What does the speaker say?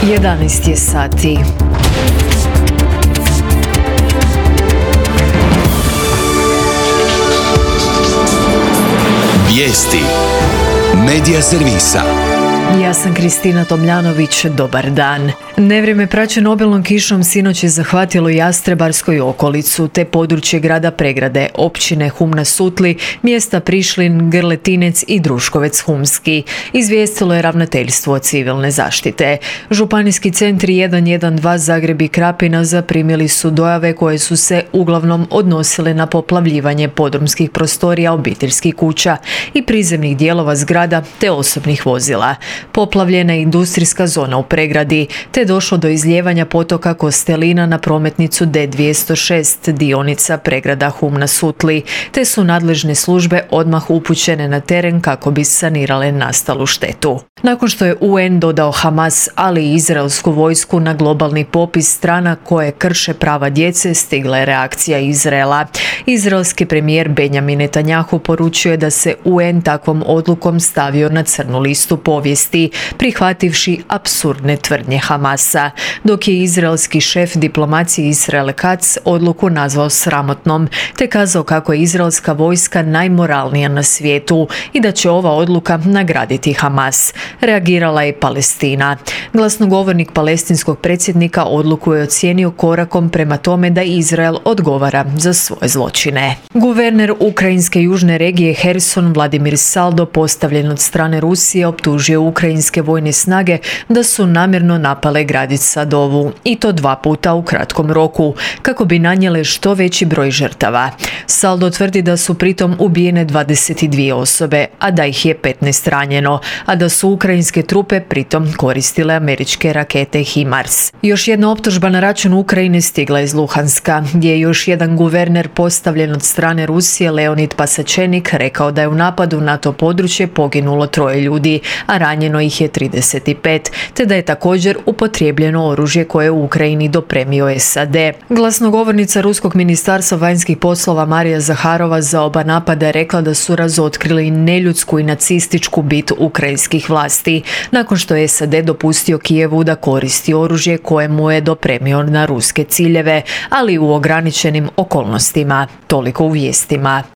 11 je sati. Vijesti Medija servisa. Ja sam Kristina Tomljanović, dobar dan. Nevrijeme praćeno obilnom kišom sinoć je zahvatilo Jastrebarsku i okolicu, te područje grada Pregrade, općine Hum na Sutli, mjesta Prišlin, Grletinec i Druškovec Humski, izvijestilo je ravnateljstvo civilne zaštite. Županijski centri 112 Zagreb i Krapina zaprimili su dojave koje su se uglavnom odnosile na poplavljivanje podrumskih prostorija obiteljskih kuća i prizemnih dijelova zgrada te osobnih vozila. Poplavljena je industrijska zona u Pregradi, te došlo do izlijevanja potoka Kostelina na prometnicu D206 dionica Pregrada Hum na Sutli, te su nadležne službe odmah upućene na teren kako bi sanirale nastalu štetu. Nakon što je UN dodao Hamas, ali i izraelsku vojsku na globalni popis strana koje krše prava djece, stigla je reakcija Izraela. Izraelski premijer Benjamin Netanjahu poručuje da se UN takvom odlukom stavio na crnu listu povijesti, prihvativši apsurdne tvrdnje Hamasa, dok je izraelski šef diplomacije Israel Katz odluku nazvao sramotnom, te kazao kako je izraelska vojska najmoralnija na svijetu i da će ova odluka nagraditi Hamas. Reagirala je Palestina. Glasnogovornik palestinskog predsjednika odluku je ocijenio korakom prema tome da Izrael odgovara za svoje zločine. Guverner ukrajinske južne regije Herson Vladimir Saldo, postavljen od strane Rusije, optužio ukrajinske vojne snage da su namjerno napale gradić Sadovu, i to 2 puta u kratkom roku, kako bi nanijele što veći broj žrtava. Saldo tvrdi da su pritom ubijene 22 osobe, a da ih je 15 ranjeno, a da su ukrajinske trupe pritom koristile američke rakete HIMARS. Još jedna optužba na račun Ukrajine stigla iz Luhanska, gdje je još jedan guverner postavljen od strane Rusije, Leonid Pasačenik, rekao da je u napadu na to područje poginulo 3 ljudi, a ranjeno ih je 35, te da je također upotrijebljeno oružje koje je u Ukrajini dopremio SAD. Glasnogovornica Ruskog ministarstva vanjskih poslova Marija Zaharova za oba napada je rekla da su razotkrili neljudsku i nacističku bit ukrajinskih vlasti, nakon što je SAD dopustio Kijevu da koristi oružje koje mu je dopremio na ruske ciljeve, ali u ograničenim okolnostima. Toliko u vijestima.